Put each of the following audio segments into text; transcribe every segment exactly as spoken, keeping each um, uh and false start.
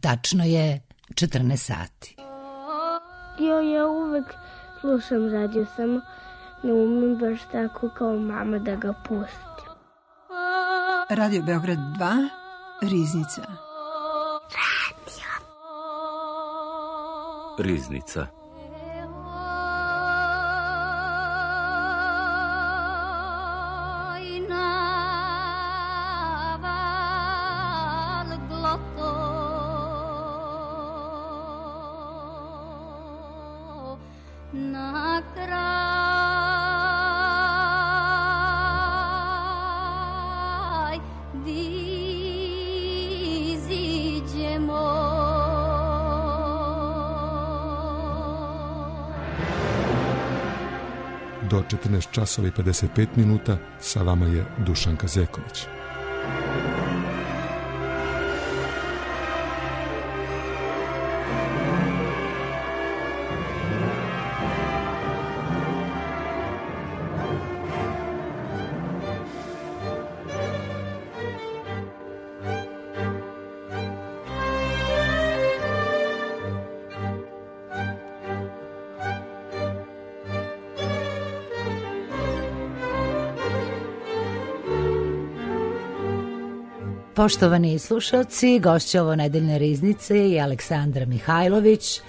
tačno je četrnaest sati. Jo, ja uvek slušam radio, samo ne umem baš tako kao mama da ga pustim. Radio Beograd dva, Riznica. Radio. Riznica. Do četrnaest časova i pedeset pet minuta sa vama je Dušanka Zeković. Poštovani slušalci, gošća ovo nedeljne riznice je Aleksandra Mihajlović,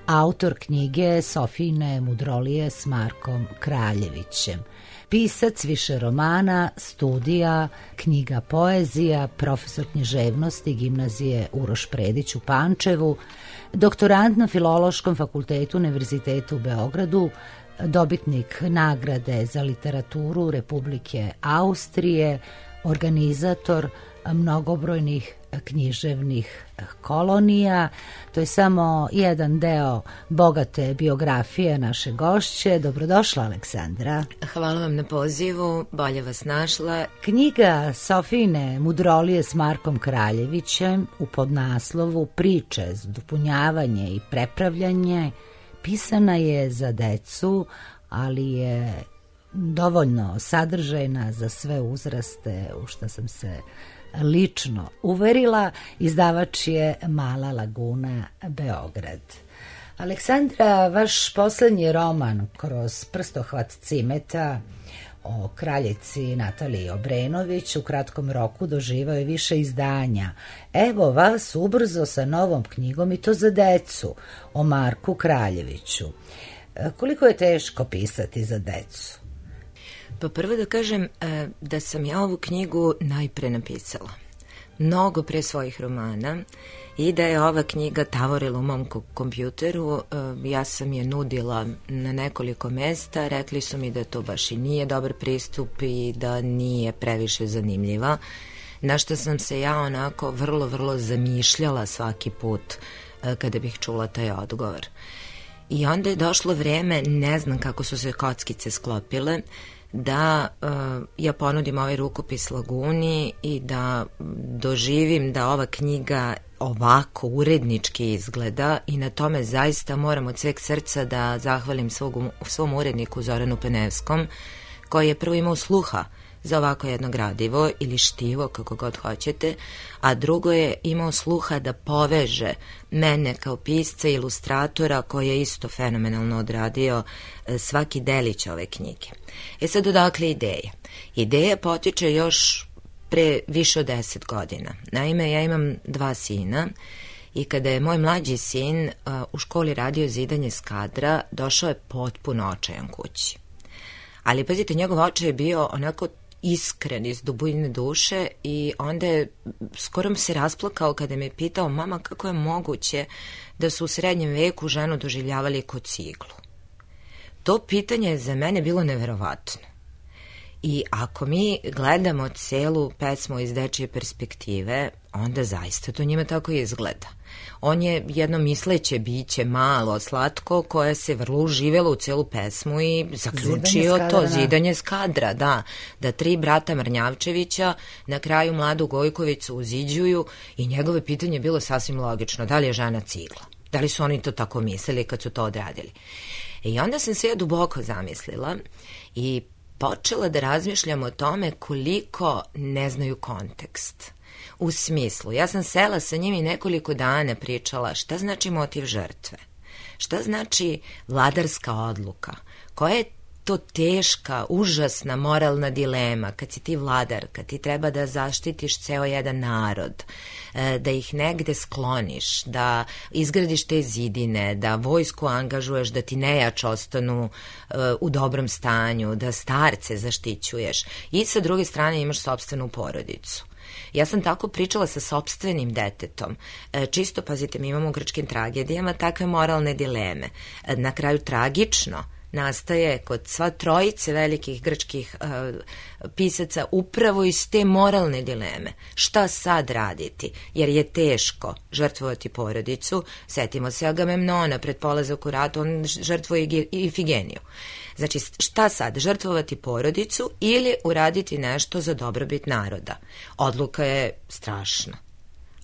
autor knjige Sofijine mudrolije s Markom Kraljevićem. Pisac više romana, studija, knjiga poezija, profesor književnosti Gimnazije Uroš Predić u Pančevu, doktorant na Filološkom fakultetu Univerzitetu u Beogradu, dobitnik nagrade za literaturu Republike Austrije, organizator mnogobrojnih književnih kolonija. To je samo jedan deo bogate biografije naše gošće. Dobrodošla, Aleksandra. Hvala vam na pozivu, bolje vas našla. Knjiga Sofijine mudrolije s Markom Kraljevićem u podnaslovu Priče za dopunjavanje i prepravljanje pisana je za decu, ali je dovoljno sadržajna za sve uzraste, u što sam se lično uverila. Izdavač je Mala Laguna, Beograd. Aleksandra, vaš poslednji roman Kroz prstohvat cimeta o kraljici Nataliji Obrenović u kratkom roku doživao je više izdanja. Evo vas ubrzo sa novom knjigom, i to za decu, o Marku Kraljeviću. Koliko je teško pisati za decu? Pa prvo da kažem da sam ja ovu knjigu najpre napisala. Mnogo pre svojih romana, i da je ova knjiga tavorila u mom kompjuteru. Ja sam je nudila na nekoliko mesta, rekli su mi da to baš i nije dobar pristup i da nije previše zanimljiva, na što sam se ja onako vrlo, vrlo zamišljala svaki put kada bih čula taj odgovor. I onda je došlo vreme, ne znam kako su se kockice sklopile, da uh, ja ponudim ovaj rukopis Laguni i da doživim da ova knjiga ovako urednički izgleda, i na tome zaista moram od sveg srca da zahvalim svog, svom uredniku Zoranu Penevskom, koji je prvo imao sluha za ovako jedno gradivo ili štivo, kako god hoćete, a drugo je imao sluha da poveže mene kao pisca i ilustratora, koji je isto fenomenalno odradio svaki delić ove knjige. E sad, odakle ideja? Ideja potiče još pre više od deset godina. Naime, ja imam dva sina i kada je moj mlađi sin uh, u školi radio zidanje skadra, došao je potpuno očajan kući. Ali, pazite, njegov očaj je bio onako iskren iz dubine duše, i onda je skoro se rasplakao kada me pitao: mama, kako je moguće da su u srednjem veku ženu doživljavali kao ciglu? To pitanje je za mene bilo neverovatno. I ako mi gledamo celu pesmu iz dečije perspektive, onda zaista to njima tako izgleda. On je jedno misleće biće, malo, slatko, koje se vrlo uživelo u celu pesmu i zaključio to zidanje skadra, da, da tri brata Mrnjavčevića na kraju mladu Gojkovicu uziđuju, i njegove pitanje je bilo sasvim logično: da li je žena cigla? Da li su oni to tako mislili kad su to odradili? I onda sam se ja duboko zamislila i počela da razmišljam o tome koliko ne znaju kontekst. U smislu, ja sam sela sa njim i nekoliko dana pričala šta znači motiv žrtve, šta znači vladarska odluka, koja je to teška, užasna moralna dilema kad si ti vladar, kad ti treba da zaštitiš ceo jedan narod, da ih negde skloniš, da izgradiš te zidine, da vojsku angažuješ, da ti nejač ostanu u dobrom stanju, da starce zaštićuješ i sa druge strane imaš sopstvenu porodicu. Ja sam tako pričala sa sopstvenim detetom. Čisto, pazite, mi imamo u grčkim tragedijama takve moralne dileme. Na kraju tragično nastaje kod sva trojice velikih grčkih uh, pisaca upravo iz te moralne dileme. Šta sad raditi? Jer je teško žrtvovati porodicu. Setimo se Agamemnona pred polazak u rat, on žrtvuje Ifigeniju. Znači, šta sad? Žrtvovati porodicu ili uraditi nešto za dobrobit naroda? Odluka je strašna.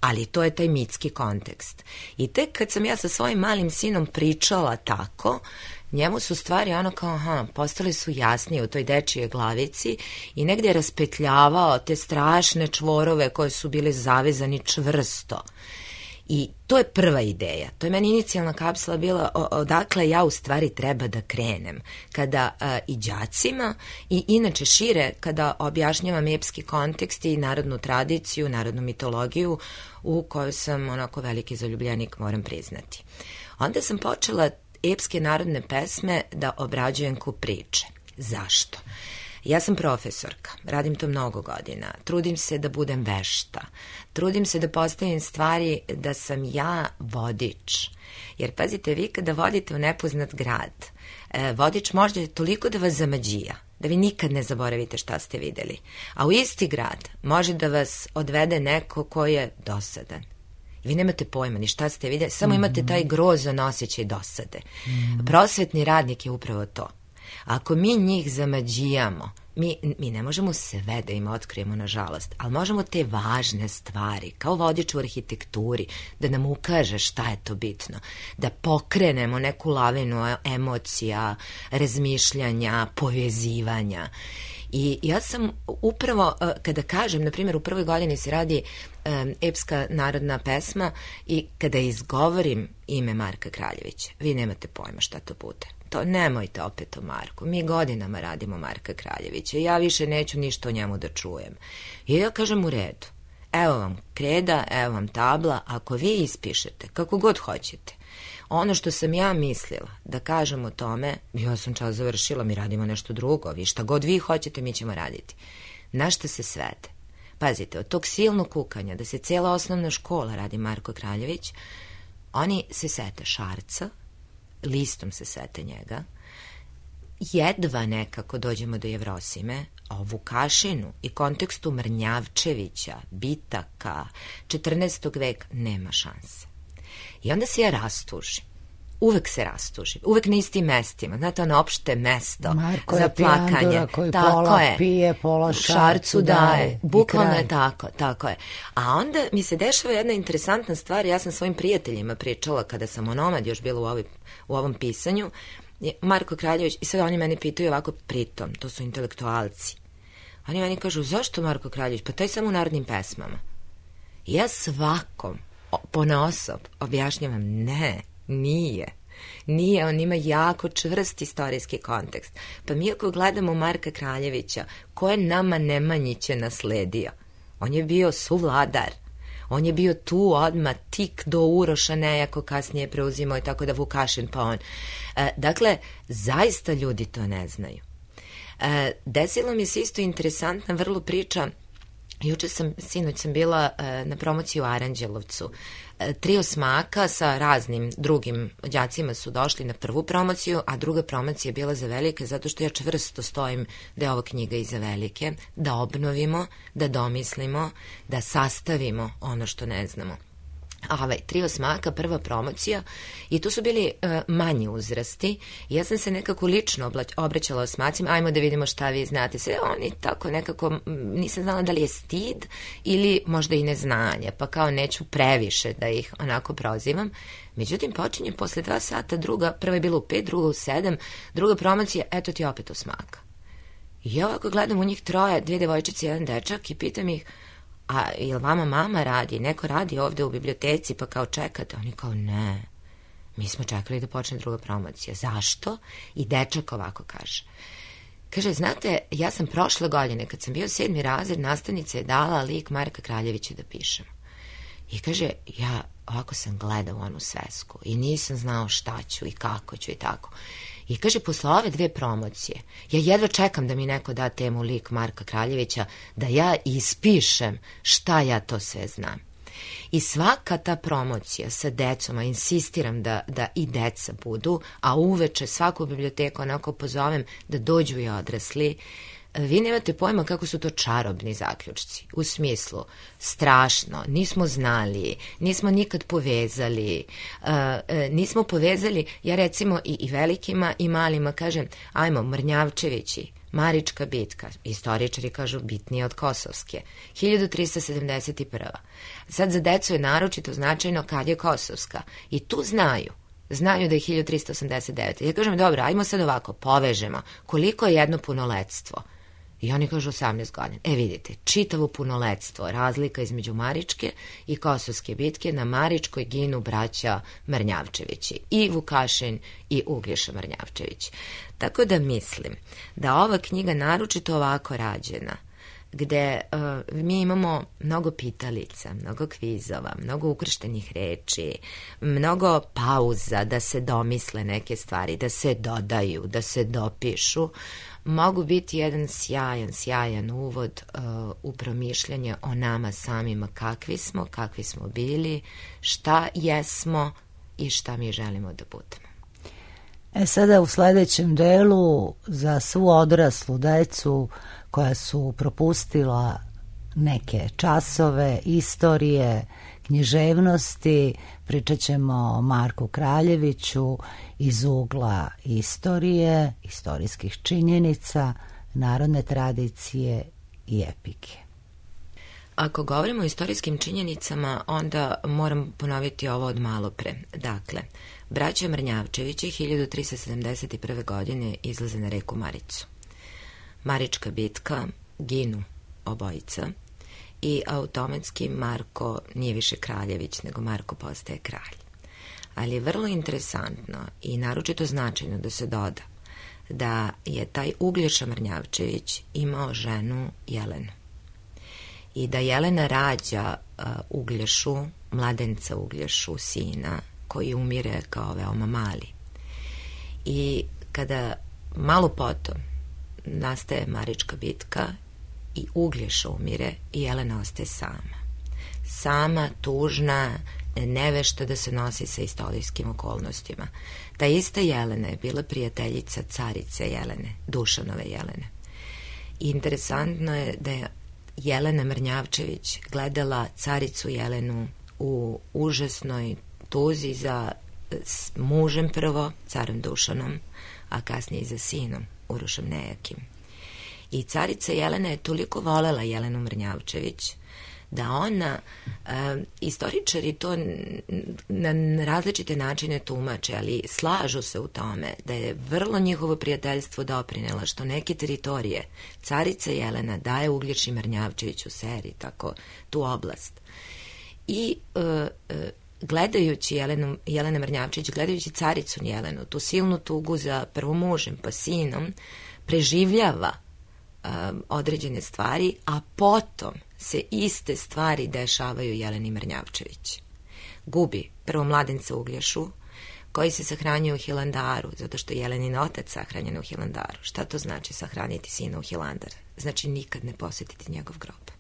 Ali to je taj mitski kontekst. I tek kad sam ja sa svojim malim sinom pričala tako, njemu su stvari ono kao, aha, postale su jasnije u toj dečije glavici i negdje je raspetljavao te strašne čvorove koje su bile zavezani čvrsto. I to je prva ideja, to je meni inicijalna kapsula bila odakle ja u stvari treba da krenem. Kada a, i đacima i inače šire, kada objašnjavam epski kontekst i narodnu tradiciju, narodnu mitologiju u kojoj sam onako veliki zaljubljenik, moram priznati. Onda sam počela epske narodne pesme da obrađujem ko priče. Zašto? Ja sam profesorka, radim to mnogo godina, trudim se da budem vešta, trudim se da postavim stvari da sam ja vodič. Jer pazite, vi kada vodite u nepoznat grad, vodič može toliko da vas zamađija, da vi nikad ne zaboravite šta ste videli. A u isti grad može da vas odvede neko ko je dosadan. Vi nemate pojma ni šta ste videli, samo imate taj grozan osjećaj dosade. Prosvetni radnik je upravo to. Ako mi njih zamađijamo, mi, mi ne možemo sve da im otkrijemo, nažalost, ali možemo te važne stvari, kao vodič u arhitekturi, da nam ukaže šta je to bitno, da pokrenemo neku lavinu emocija, razmišljanja, povezivanja. I ja sam upravo, kada kažem, na primjer, u prvoj godini se radi um, epska narodna pesma i kada izgovorim ime Marka Kraljevića, vi nemate pojma šta to bude. To nemojte opet o Marku. Mi godinama radimo Marka Kraljevića. Ja više neću ništa o njemu da čujem. I ja kažem u redu. Evo vam kreda, evo vam tabla. Ako vi ispišete, kako god hoćete, ono što sam ja mislila da kažem o tome, ja sam čas završila, mi radimo nešto drugo. Vi šta god vi hoćete, mi ćemo raditi. Na šta se svede? Pazite, od tog silnog kukanja da se cijela osnovna škola radi Marko Kraljević, oni se sete Šarca, listom se sete njega, jedva nekako dođemo do Jevrosime, a o Vukašinu i kontekstu Mrnjavčevića, Bitaka, četrnaestog veka nema šanse. I onda se ja rastužim. Uvek se rastužim. Uvek na istim mestima. Znate, ono opšte mesto Marko za plakanje. Koji tako pola je. Pije, pola šarcu, šarcu daje. daje. Bukvalno je tako, tako je. A onda mi se dešava jedna interesantna stvar. Ja sam svojim prijateljima pričala kada sam onomad još bila u, ovoj, u ovom pisanju. Marko Kraljević, i sad oni meni pitaju ovako, pritom, to su intelektualci. Oni meni kažu, zašto Marko Kraljević? Pa taj samo u narodnim pesmama. I ja svakom ponaosob objašnjavam, ne, nije. Nije, on ima jako čvrst istorijski kontekst. Pa mi ako gledamo Marka Kraljevića, ko je nama Nemanjiće nasledio? On je bio suvladar. On je bio tu odmah tik do Uroša Nejako, kasnije preuzimao i tako da Vukašin pa on. E, dakle, zaista ljudi to ne znaju. E, desilo mi se isto interesantna vrlo priča. Juče sam, sinoć sam bila e, na promociji u Aranđelovcu. E, trio smaka sa raznim drugim đacima su došli na prvu promociju, a druga promocija je bila za velike, zato što ja čvrsto stojim da je ova knjiga i za velike, da obnovimo, da domislimo, da sastavimo ono što ne znamo. A ovaj, trio smaka, prva promocija, i tu su bili e, manji uzrasti. Ja sam se nekako lično obraćala osmacima, ajmo da vidimo šta vi znate. Sve oni tako nekako, nisam znala da li je stid ili možda i neznanje, pa kao neću previše da ih onako prozivam. Međutim, počinje posle dva sata druga, prva je bila u pet, druga u sedam, druga promocija, eto ti opet osmaka. I ja ovako gledam u njih troje, dvije devojčice i jedan dečak i pitam ih, a jel vama mama radi, neko radi ovde u biblioteci pa kao čekate? Oni kao ne, mi smo čekali da počne druga promocija. Zašto? I dečak ovako kaže. Kaže, znate, ja sam prošle godine, kad sam bio sedmi razred, nastavnica je dala lik Marka Kraljevića da pišem. I kaže, ja ovako sam gledao onu svesku i nisam znao šta ću i kako ću i tako. I kaže, posle ove dve promocije, ja jedva čekam da mi neko da temu lik Marka Kraljevića, da ja ispišem šta ja to sve znam. I svaka ta promocija sa decom, a insistiram da, da i deca budu, a uveče svaku biblioteku onako pozovem da dođu i odrasli, vi nemate pojma kako su to čarobni zaključci. U smislu, strašno, nismo znali, nismo nikad povezali, uh, uh, nismo povezali, ja recimo i, i velikima i malima kažem, ajmo, Mrnjavčevići, Marička bitka, istoričari kažu bitnije od Kosovske, hiljadu trista sedamdeset prva. Sad za decu je naročito značajno kad je Kosovska i tu znaju. Znaju da je hiljadu trista osamdeset devete. Ja kažem, dobro, ajmo sad ovako, povežemo. Koliko je jedno punoletstvo? I oni kažu osamnaest godina. E vidite, čitavo punoletstvo, razlika između Maričke i Kosovske bitke, na Maričkoj ginu braća Mrnjavčevići, i Vukašin i Uglješa Mrnjavčević. Tako da mislim da ova knjiga naročito ovako rađena, gde uh, mi imamo mnogo pitalica, mnogo kvizova, mnogo ukrštenih reči, mnogo pauza da se domisle neke stvari, da se dodaju, da se dopišu, mogu biti jedan sjajan, sjajan uvod uh, u promišljanje o nama samima, kakvi smo, kakvi smo bili, šta jesmo i šta mi želimo da budemo. E sada u sledećem delu za svu odraslu decu koja su propustila neke časove, istorije, književnosti, pričat ćemo o Marku Kraljeviću iz ugla istorije, istorijskih činjenica, narodne tradicije i epike. Ako govorimo o istorijskim činjenicama, onda moram ponoviti ovo od malo pre. Dakle, braća Mrnjavčevići hiljadu trista sedamdeset prve. godine izlaze na reku Maricu. Marička bitka, ginu obojica i automatski Marko nije više Kraljević, nego Marko postaje kralj. Ali je vrlo interesantno i naročito značajno da se doda da je taj Uglješa Mrnjavčević imao ženu Jelenu. I da Jelena rađa uh, Uglješu, mladenca Uglješu, sina, koji umire kao veoma mali. I kada malo potom nastaje Marička bitka i Uglješa umire i Jelena ostaje sama. Sama, tužna, nevešta da se nosi sa istorijskim okolnostima. Ta ista Jelena je bila prijateljica carice Jelene, Dušanove Jelene. I interesantno je da je Jelena Mrnjavčević gledala caricu Jelenu u užasnoj tuzi za mužem prvo, carom Dušanom, a kasnije i za sinom, Urošem Nejakim. I carica Jelena je toliko volela Jelenu Mrnjavčević da ona, e, istoričari to na različite načine tumače, ali slažu se u tome da je vrlo njihovo prijateljstvo doprinela što neke teritorije carica Jelena daje Uglješi Mrnjavčević u seriji, tako tu oblast. I e, e, gledajući Jelenu, Jelena Mrnjavčević, gledajući caricu Jelenu, tu silnu tugu za prvo mužem pa sinom, preživljava um, određene stvari, a potom se iste stvari dešavaju Jeleni Mrnjavčević. Gubi prvo mladenca Uglješu, koji se sahranjuje u Hilandaru, zato što je Jelenin otac sahranjen u Hilandaru. Šta to znači sahraniti sina u Hilandar? Znači nikad ne posjetiti njegov grob.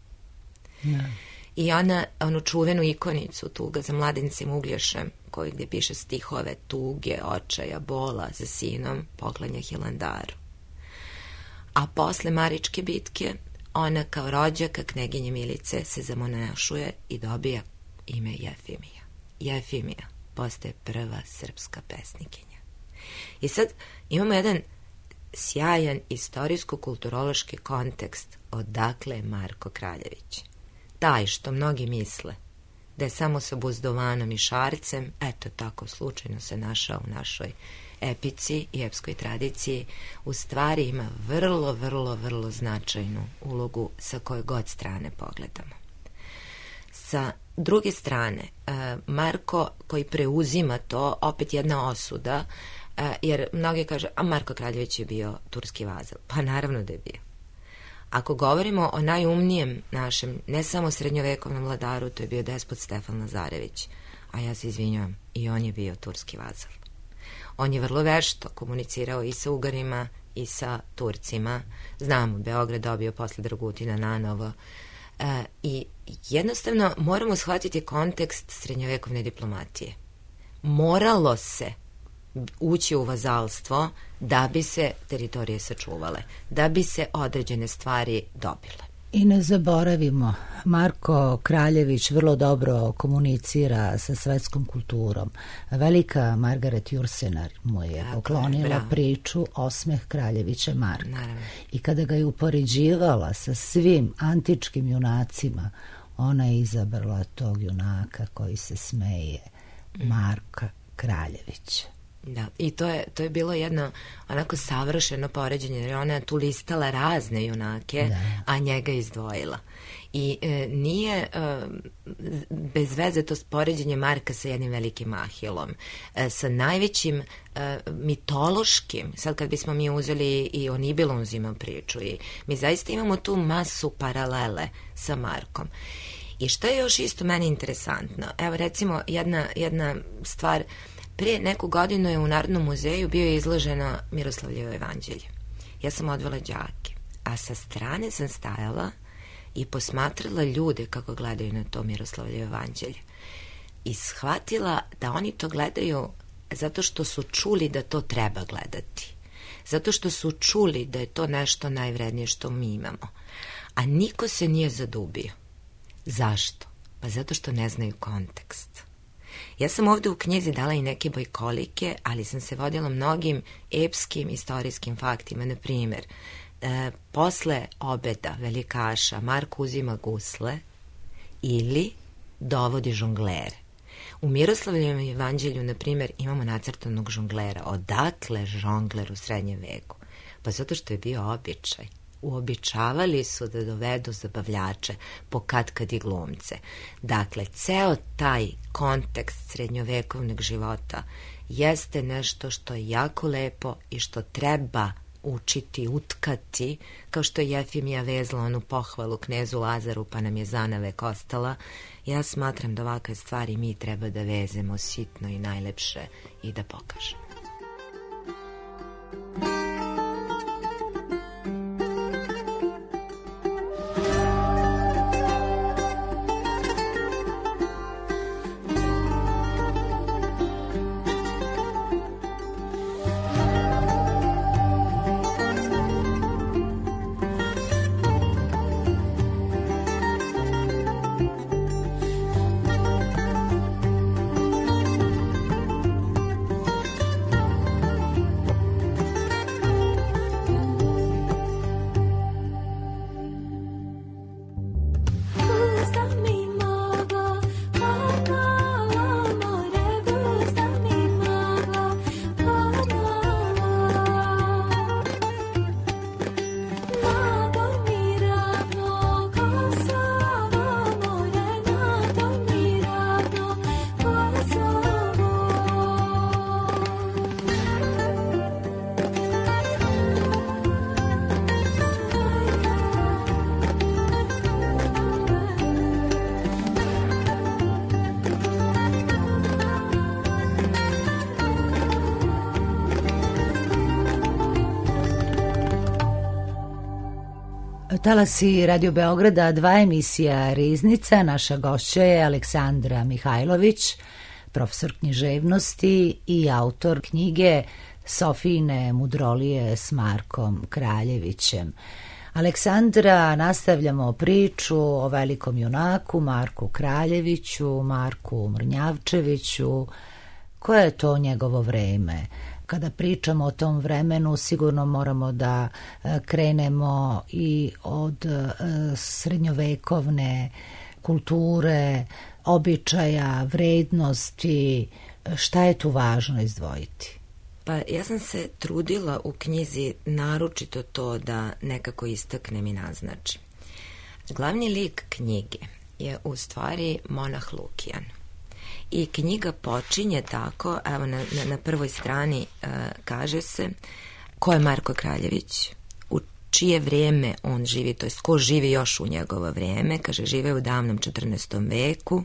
Ne. I ona, onu čuvenu ikonicu tuga za mladencem Uglješem, koji gdje piše stihove tuge, očaja, bola za sinom, poklanja Hilandaru. A posle Maričke bitke, ona kao rođaka kneginje Milice se zamonašuje i dobija ime Jefimija. Jefimija postaje prva srpska pesnikinja. I sad imamo jedan sjajan istorijsko-kulturološki kontekst odakle je Marko Kraljević. Taj što mnogi misle da je samo sa buzdovanom i šarcem, eto tako slučajno se našao u našoj epici i epskoj tradiciji, u stvari ima vrlo, vrlo, vrlo značajnu ulogu sa koje god strane pogledamo. Sa druge strane, Marko koji preuzima to, opet jedna osuda, jer mnogi kaže, a Marko Kraljević je bio turski vazal. Pa naravno da je bio. Ako govorimo o najumnijem našem, ne samo srednjovekovnom vladaru, to je bio despot Stefan Lazarević, a ja se izvinjavam, i on je bio turski vazal. On je vrlo vešto komunicirao i sa Ugarima i sa Turcima. Znamo, Beograd dobio posle Dragutina nanovo. E, I jednostavno moramo shvatiti kontekst srednjovekovne diplomatije. Moralo se ući u vazalstvo da bi se teritorije sačuvale, da bi se određene stvari dobile. I ne zaboravimo, Marko Kraljević vrlo dobro komunicira sa svetskom kulturom. Velika Margaret Jursenar mu je poklonila Bravo. priču Osmeh Kraljevića Marka. Naravno. I kada ga je upoređivala sa svim antičkim junacima, ona je izabrala tog junaka koji se smeje, Marka Kraljevića. Da, i to je, to je bilo jedno onako savršeno poređenje, jer ona tu listala razne junake, da. a njega izdvojila. I e, nije e, bez veze to poređenje Marka sa jednim velikim Ahilom, e, sa najvećim e, mitološkim, sad kad bismo mi uzeli i o Nibelunu uzimam priču, i mi zaista imamo tu masu paralele sa Markom. I što je još isto meni interesantno, evo recimo jedna, jedna stvar. Prije neku godinu je u Narodnom muzeju bio izloženo Miroslavljevo evanđelje. Ja sam odvela đake, a sa strane sam stajala i posmatrala ljude kako gledaju na to Miroslavljevo evanđelje. I shvatila da oni to gledaju zato što su čuli da to treba gledati. Zato što su čuli da je to nešto najvrednije što mi imamo. A niko se nije zadubio. Zašto? Pa zato što ne znaju kontekst. Ja sam ovde u knjizi dala i neke bojkolike, ali sam se vodila mnogim epskim istorijskim faktima. Na primjer, e, posle obeda velikaša Marko uzima gusle ili dovodi žonglere. U Miroslavljevom evanđelju, na primjer, imamo nacrtanog žonglera. Odakle žongler u srednjem veku? Pa zato što je bio običaj. Uobičavali su da dovedu zabavljače, po katkad i glumce. Dakle, ceo taj kontekst srednjovekovnog života jeste nešto što je jako lepo i što treba učiti, utkati, kao što je Jefimija vezla onu pohvalu knezu Lazaru, pa nam je zanavek ostala. Ja smatram da ovakve stvari mi treba da vezemo sitno i najlepše i da pokažemo. Talasi Radio Beograda, dva emisija Riznica. Naša gošća je Aleksandra Mihajlović, profesor književnosti i autor knjige Sofijine mudrolije s Markom Kraljevićem. Aleksandra, nastavljamo priču o velikom junaku Marku Kraljeviću, Marku Mrnjavčeviću. Koje je to njegovo vreme? Kada pričamo o tom vremenu, sigurno moramo da krenemo i od srednjovekovne kulture, običaja, vrednosti. Šta je tu važno izdvojiti? Pa ja sam se trudila u knjizi naročito to da nekako istaknem i naznačim. Glavni lik knjige je u stvari monah Lukijan. I knjiga počinje tako, evo na, na, na prvoj strani uh, kaže se ko je Marko Kraljević, u čije vrijeme on živi, to jest ko živi još u njegovo vrijeme, kaže žive u davnom četrnaestom veku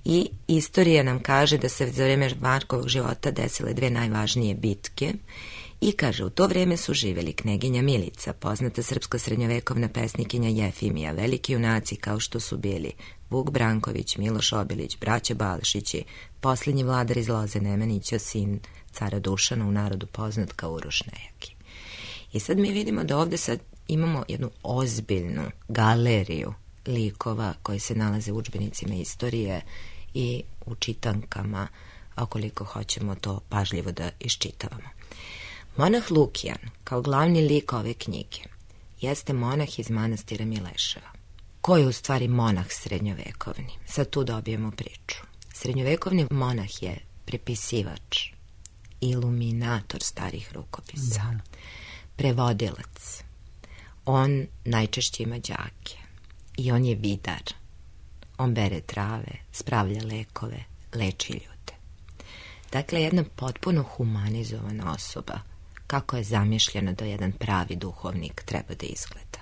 i istorija nam kaže da se za vrijeme Markovog života desile dve najvažnije bitke i kaže u to vrijeme su živjeli kneginja Milica, poznata srpska srednjovekovna pesnikinja Jefimija, veliki junaci kao što su bili Vuk Branković, Miloš Obilić, braća Balšići, posljednji vladar iz Loze Nemanića, sin cara Dušana, u narodu poznat kao Uroš Nejaki. I sad mi vidimo da ovdje sad imamo jednu ozbiljnu galeriju likova koji se nalaze u udžbenicima istorije i u čitankama, okoliko hoćemo to pažljivo da iščitavamo. Monah Lukijan, kao glavni lik ove knjige, jeste monah iz manastira Mileševa. Ko je u stvari monah srednjovekovni? Sad tu dobijemo priču. Srednjovekovni monah je prepisivač, iluminator starih rukopisa, da. Prevodilac. On najčešće ima đake i on je vidar. On bere trave, spravlja lekove, leči ljude. Dakle, jedna potpuno humanizovana osoba, kako je zamišljeno da jedan pravi duhovnik treba da izgleda.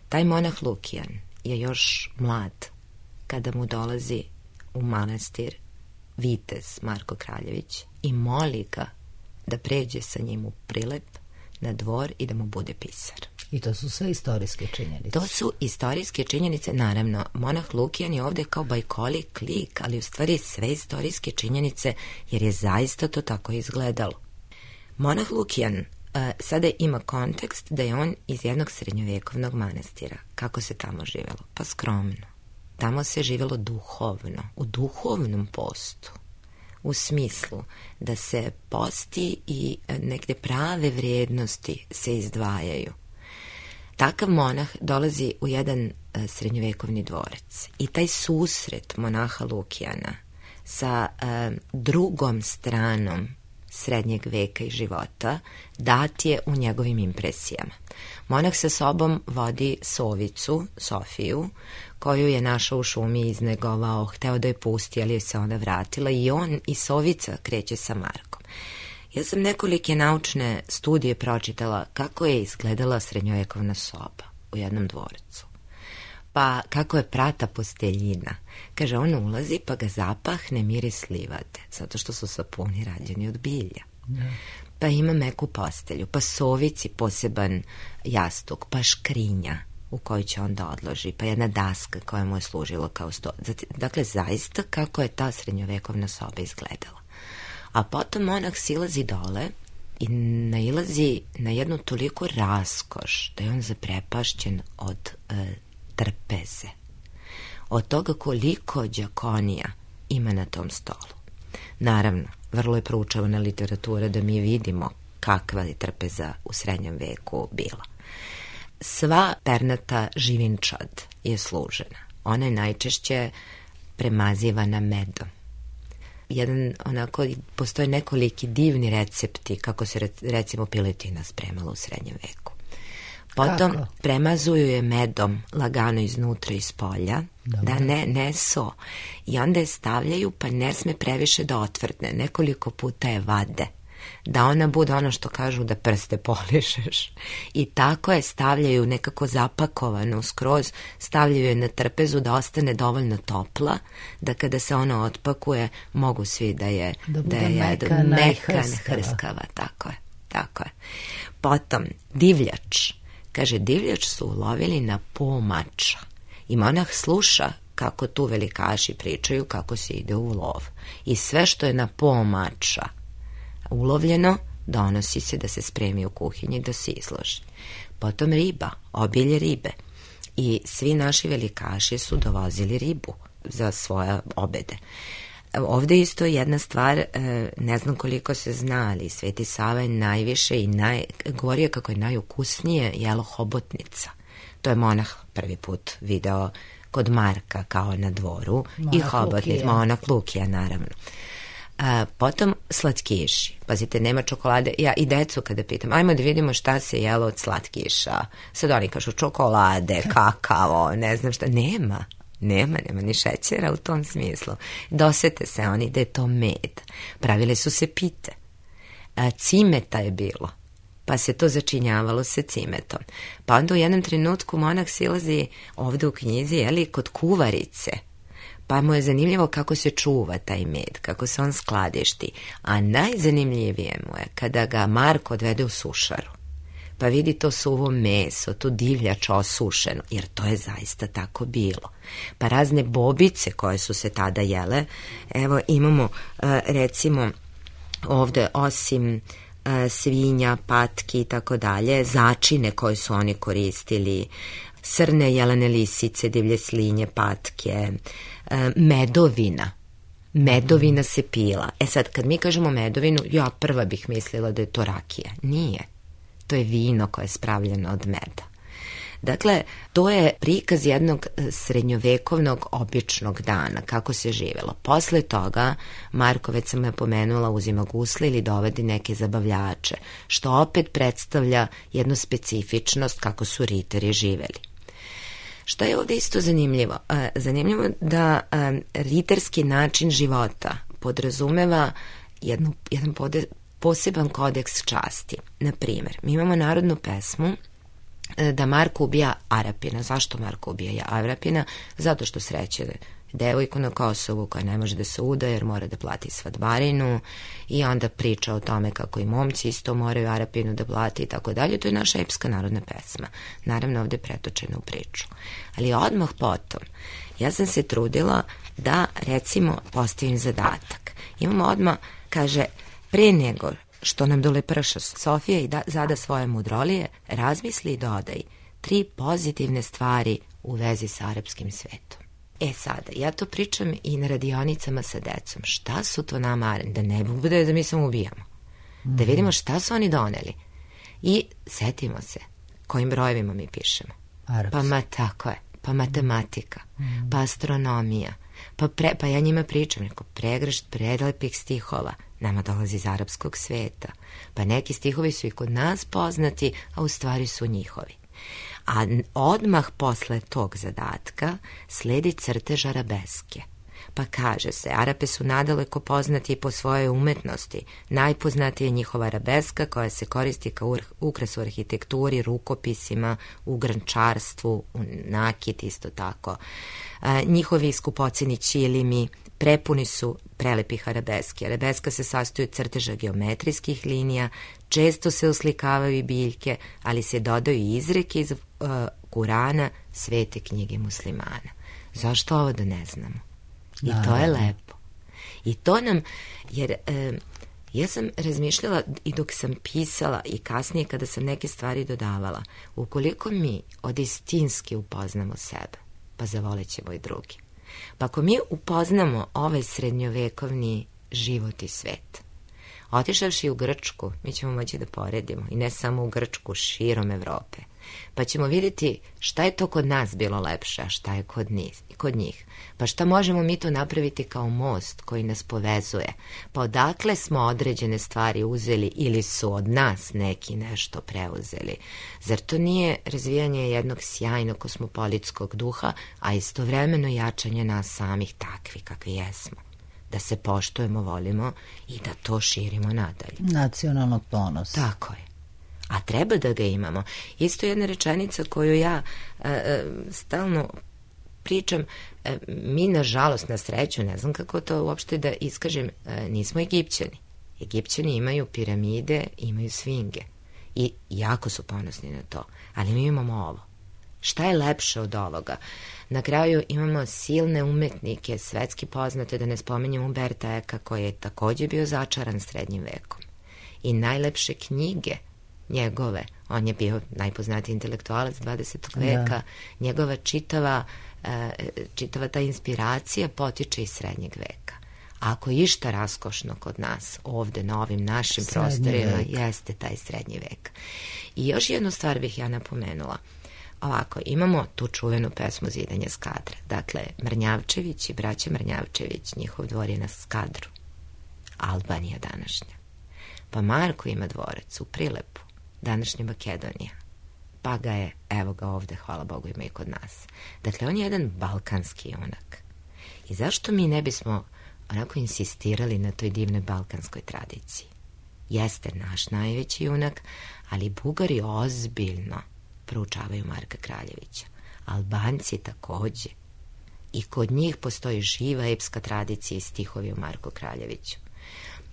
Taj monah Lukijan je još mlad kada mu dolazi u manastir vitez Marko Kraljević i moli ga da pređe sa njim u Prilep na dvor i da mu bude pisar. I to su sve istorijske činjenice. To su istorijske činjenice, naravno. Monah Lukijan je ovdje kao bajkolik lik, ali u stvari sve istorijske činjenice, jer je zaista to tako izgledalo. Monah Lukijan uh, sada ima kontekst da je on iz jednog srednjovekovnog manastira. Kako se tamo živjelo? Pa skromno. Tamo se živjelo duhovno, u duhovnom postu. U smislu da se posti i negde prave vrijednosti se izdvajaju. Takav monah dolazi u jedan uh, srednjovekovni dvorac i taj susret monaha Lukijana sa uh, drugom stranom srednjeg veka i života dat je u njegovim impresijama. Monah sa sobom vodi sovicu, Sofiju, koju je našao u šumi i iznegovao, hteo da je pusti, ali je se onda vratila i on i sovica kreće sa Markom. Ja sam nekolike naučne studije pročitala kako je izgledala srednjovekovna soba u jednom dvorcu. Pa kako je prata posteljina. Kaže, on ulazi pa ga zapahne miris livade, zato što su sapuni rađeni od bilja. Ne. Pa ima meku postelju, pa sovici poseban jastuk, pa škrinja u koju će onda odloži, pa jedna daska koja mu je služila kao sto. Dakle, zaista kako je ta srednjovekovna soba izgledala. A potom monah silazi dole i nailazi na jednu toliko raskoš da je on zaprepašćen od e, trpeze. Od toga koliko đakonija ima na tom stolu. Naravno, vrlo je proučavana literatura da mi vidimo kakva je trpeza u srednjem veku bila. Sva pernata živinčad je služena. Ona je najčešće premazivana medom. Jedan, onako, postoje nekoliki divni recepti kako se recimo piletina spremala u srednjem veku. Potom kako? Premazuju je medom lagano iznutra i iz polja, da ne, ne so. I onda je stavljaju pa ne sme previše da otvrdne. Nekoliko puta je vade. Da ona bude ono što kažu da prste polišeš. I tako je stavljaju nekako zapakovanu skroz, stavljaju je na trpezu da ostane dovoljno topla, da kada se ona otpakuje mogu svi da je da, da je meka, meka hrskava. Tako je, tako je. Potom divljač. Kaže, divljač su ulovili na po mača. I monah sluša kako tu velikaši pričaju kako se ide u lov. I sve što je na po mača ulovljeno, donosi se da se spremi u kuhinji da se izloži. Potom riba, obilje ribe. I svi naši velikaši su dovozili ribu za svoje obede. Ovdje isto jedna stvar, ne znam koliko se zna, ali Sveti Sava je najviše i naj, govorio kako je najukusnije jelo hobotnica. To je monah prvi put video kod Marka kao na dvoru. Monah i hobotnica, monah Lukija, naravno. A, potom slatkiši. Pazite, nema čokolade. Ja i decu kada pitam, ajmo da vidimo šta se jelo od slatkiša. Sad oni kažu čokolade, kakao, ne znam šta. Nema. Nema, nema ni šećera u tom smislu. Dosete se oni da je to med. Pravile su se pite. A, cimeta je bilo, pa se to začinjavalo se cimetom. Pa onda u jednom trenutku monah silazi ovde u knjizi, jeli, kod kuvarice, pa mu je zanimljivo kako se čuva taj med, kako se on skladišti, a najzanimljivije mu je kada ga Marko odvede u sušaru, pa vidi to suvo meso, to divljač osušeno, jer to je zaista tako bilo. Pa razne bobice koje su se tada jele, evo imamo recimo ovde osim svinja, patki i tako dalje, začine koje su oni koristili, srne, jelene lisice, divlje slinje, patke, medovina. Medovina se pila. E sad, kad mi kažemo medovinu, ja prva bih mislila da je to rakija. Nije. To je vino koje je spravljeno od meda. Dakle, to je prikaz jednog srednjovekovnog običnog dana, kako se živelo. Posle toga, Marko, već sam napomenula, uzima gusle ili dovodi neke zabavljače, što opet predstavlja jednu specifičnost kako su ritari živeli. Šta je ovde isto zanimljivo? Zanimljivo da ritarski način života podrazumeva jednu, jedan pode, poseban kodeks časti. Naprimer, mi imamo narodnu pesmu da Marko ubija Arapina. Zašto Marko ubija Arapina? Zato što sreće devojku na Kosovu koja ne može da se uda jer mora da plati svadbarinu i onda priča o tome kako i momci isto moraju Arapinu da plati i tako dalje. To je naša epska narodna pesma. Naravno ovde pretočena u priču. Ali odmah potom ja sam se trudila da recimo postavim zadatak. Imamo odmah, kaže, pre nego što nam dole prša Sofija i da, zada svoje mudrolije, razmisli i dodaj tri pozitivne stvari u vezi sa arapskim svetom. E sada, ja to pričam i na radionicama sa decom. Šta su to nama, da ne bude da mi samo ubijamo. Da vidimo šta su oni doneli. I setimo se kojim brojevima mi pišemo. Arapski. Pa ma tako je, pa matematika, mm. pa astronomija, pa, pre, pa ja njima pričam, neko pregršt prelepih stihova, nama dolazi iz arapskog sveta. Pa neki stihovi su i kod nas poznati, a u stvari su njihovi. A odmah posle tog zadatka sledi crtež arabeske. Pa kaže se, Arape su nadaleko poznati po svojoj umetnosti. Najpoznatija je njihova arabeska koja se koristi kao ukras u arhitekturi, rukopisima, u grančarstvu, u nakit isto tako. A, njihovi skupoceni ćilimi prepuni su prelepih arabeski. Arabeska se sastoji od crteža geometrijskih linija, često se oslikavaju i biljke, ali se dodaju i izreke iz uh, Kurana, svete knjige muslimana. Zašto ovo da ne znamo? I to je lepo. I to nam, jer e, ja sam razmišljala i dok sam pisala i kasnije kada sam neke stvari dodavala, ukoliko mi od istinski upoznamo sebe, pa zavolit ćemo i drugi. Pa ako mi upoznamo ovaj srednjovekovni život i svet, otišavši u Grčku, mi ćemo moći da poredimo, i ne samo u Grčku, širom Evrope, pa ćemo vidjeti šta je to kod nas bilo lepše, a šta je kod njih, kod njih. Pa šta možemo mi to napraviti kao most koji nas povezuje? Pa odakle smo određene stvari uzeli ili su od nas neki nešto preuzeli? Zar to nije razvijanje jednog sjajnog kosmopolitskog duha, a istovremeno jačanje nas samih takvi kakvi jesmo? Da se poštujemo, volimo i da to širimo nadalje. Nacionalnog ponosa. Tako je. A treba da ga imamo. Isto jedna rečenica koju ja e, e, stalno pričam, e, mi nažalost, na sreću, ne znam kako to uopšte da iskažem, e, nismo Egipćani. Egipćani imaju piramide, imaju sfinge i jako su ponosni na to, ali mi imamo ovo. Šta je lepše od ovoga? Na kraju imamo silne umetnike, svetski poznate, da ne spominjem Umberta Eka, koji je takođe bio začaran srednjim vekom. I najlepše knjige njegove, on je bio najpoznatiji intelektualac dvadesetog veka, da. Njegova čitava, čitava ta inspiracija potiče iz srednjeg veka. A ako je išta raskošno kod nas, ovde na ovim našim srednji prostorima, vek. Jeste taj srednji vek. I još jednu stvar bih ja napomenula. Ovako, imamo tu čuvenu pesmu Zidanje Skadra. Dakle, Mrnjavčević i braća Mrnjavčević, njihov dvor je na Skadru. Albanija današnja. Pa Marko ima dvorac u Prilepu, današnja Makedonija. pa ga je, evo ga ovde, hvala Bogu, ima i kod nas. Dakle, on je jedan balkanski junak. I zašto mi ne bismo onako insistirali na toj divnoj balkanskoj tradiciji? Jeste naš najveći junak, ali Bugari ozbiljno proučavaju Marka Kraljevića. Albanci takođe. I kod njih postoji živa epska tradicija i stihovi o Marku Kraljeviću.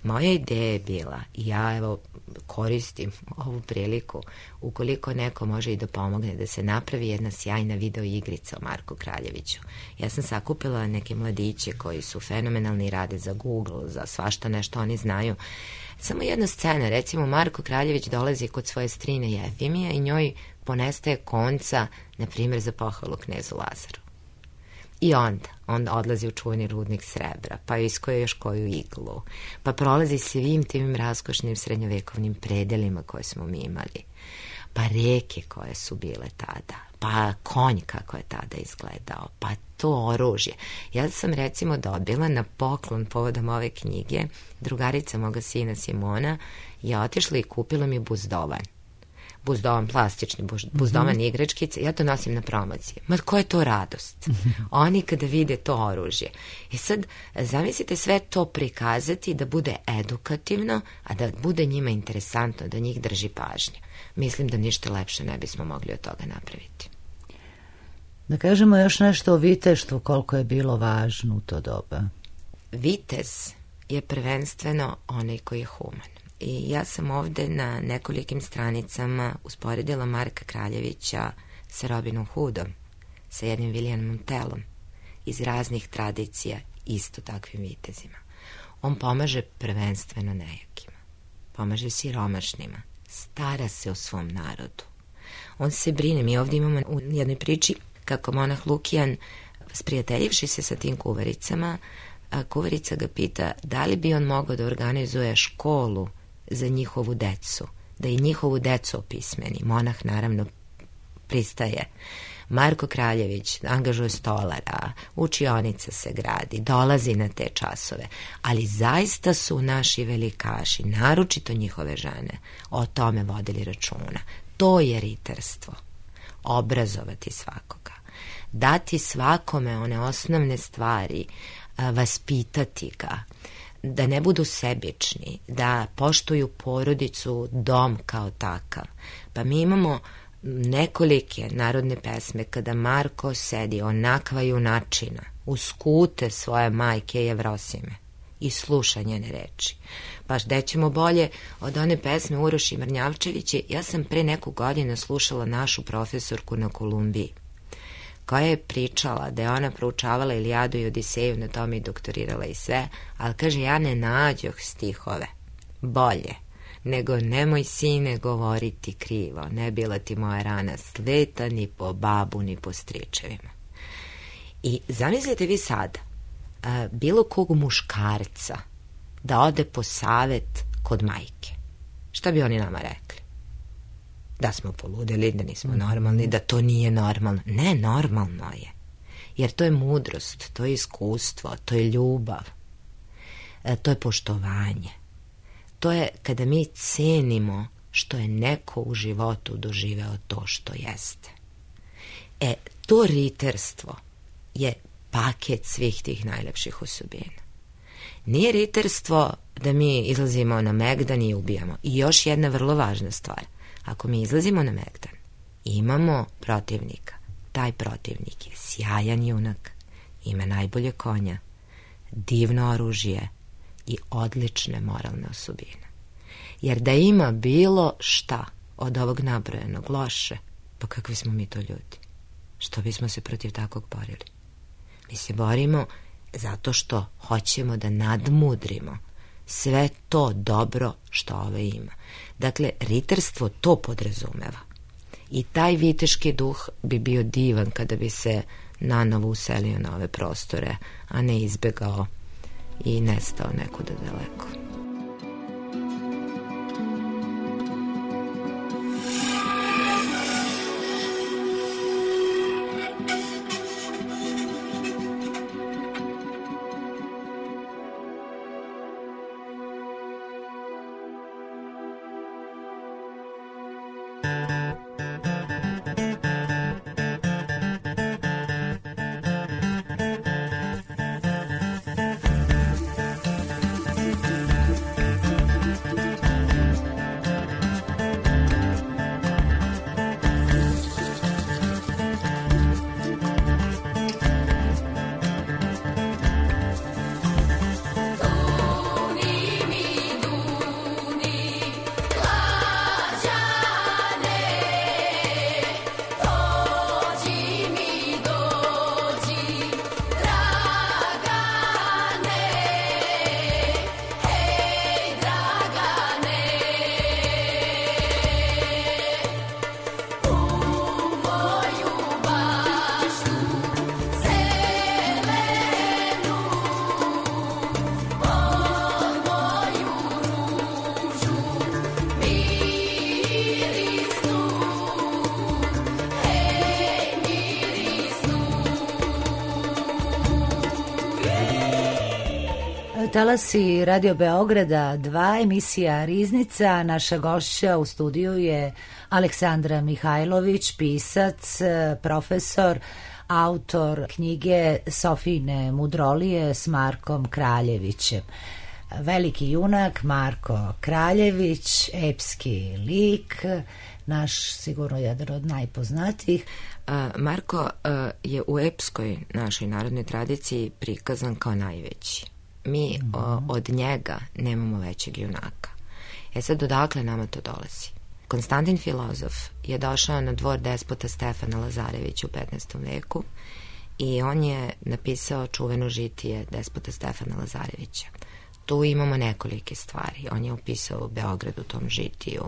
Moja ideja je bila, i ja evo koristim ovu priliku, ukoliko neko može i da pomogne, da se napravi jedna sjajna video igrica o Marku Kraljeviću. Ja sam sakupila neke mladiće koji su fenomenalni, rade za Google, za svašta nešto oni znaju. Samo jedna scena, recimo Marko Kraljević dolazi kod svoje strine Jefimija i njoj ponestaje konca, na primjer, za pohvalu knezu Lazaru. I onda, onda odlazi u čuveni rudnik srebra, pa iskoje još koju iglu, pa prolazi svim tim raskošnim srednjovekovnim predelima koje smo mi imali, pa reke koje su bile tada, pa konj kako je tada izgledao, pa to oružje. Ja sam recimo dobila na poklon povodom ove knjige, drugarica moga sina Simona je otišla i kupila mi buzdovan. Buzdovan plastični, buzdovan mm-hmm. igračkice, ja to nosim na promocije. Ma koja je to radost? Oni kada vide to oružje. I sad, zamislite sve to prikazati da bude edukativno, a da bude njima interesantno, da njih drži pažnju. Mislim da ništa lepše ne bismo mogli od toga napraviti. Da kažemo još nešto o viteštvu, koliko je bilo važno u to doba. Vitez je prvenstveno onaj koji je human. I ja sam ovde na nekolikim stranicama usporedila Marka Kraljevića sa Robinom Hoodom, sa jednim Williamom Tellom, iz raznih tradicija isto takvim vitezima. On pomaže prvenstveno nejakima, pomaže siromašnima, stara se o svom narodu. On se brine, mi ovde imamo u jednoj priči kako monah Lukijan, sprijateljivši se sa tim kuvaricama, a kuvarica ga pita da li bi on mogao da organizuje školu za njihovu decu, da i njihovu decu opismeni. Monah naravno pristaje. Marko Kraljević angažuje stolara, učionica se gradi, dolazi na te časove, ali zaista su naši velikaši, naročito njihove žene, o tome vodili računa. To je riterstvo. Obrazovati svakoga. Dati svakome one osnovne stvari, vaspitati ga, da ne budu sebični, da poštuju porodicu, dom kao takav. Pa mi imamo nekolike narodne pesme kada Marko sedi onakva junačina uz skute svoje majke Jevrosime i sluša njene reči. Pa gde ćemo bolje od one pesme Uroši Mrnjavčevića? Ja sam pre neku godinu slušala našu profesorku na Kolumbiji, koja je pričala da je ona proučavala Ilijadu i Odiseju, na tome i doktorirala i sve, ali kaže, ja ne nađoh stihove bolje nego nemoj sine govoriti krivo, ne bila ti moja rana sveta ni po babu ni po stričevima. I zamislite vi sada a, bilo kog muškarca da ode po savet kod majke. Šta bi oni nama rekli? Da smo poludeli, da nismo normalni, da to nije normalno. Ne, normalno je. Jer to je mudrost, to je iskustvo, to je ljubav, to je poštovanje. To je kada mi cenimo što je neko u životu doživeo to što jeste. E, to riterstvo je paket svih tih najlepših osobina. Nije riterstvo da mi izlazimo na megdan i ubijamo. I još jedna vrlo važna stvar. Ako mi izlazimo na megdan, imamo protivnika. Taj protivnik je sjajan junak, ima najbolje konja, divno oružje i odlične moralne osobine. Jer da ima bilo šta od ovog nabrojenog loše, pa kakvi smo mi to ljudi? Što bismo se protiv takvog borili? Mi se borimo zato što hoćemo da nadmudrimo sve to dobro što ove ima. Dakle, riterstvo to podrazumeva. I taj viteški duh bi bio divan kada bi se nanovo uselio na ove prostore, a ne izbegao i nestao nekuda daleko. talasi Radio Beograda dva, emisija Riznica. Naša gošća u studiju je Aleksandra Mihajlović, pisac, profesor, autor knjige Sofijine mudrolije s Markom Kraljevićem. Veliki junak Marko Kraljević, epski lik, naš sigurno jedan od najpoznatijih. Marko je u epskoj našoj narodnoj tradiciji prikazan kao najveći. Mi mm-hmm. od njega nemamo većeg junaka. E sad, odakle nama to dolazi? Konstantin filozof je došao na dvor despota Stefana Lazarevića u petnaestom veku i on je napisao čuveno žitije despota Stefana Lazarevića. Tu imamo nekolike stvari. On je opisao Beograd u tom žitiju,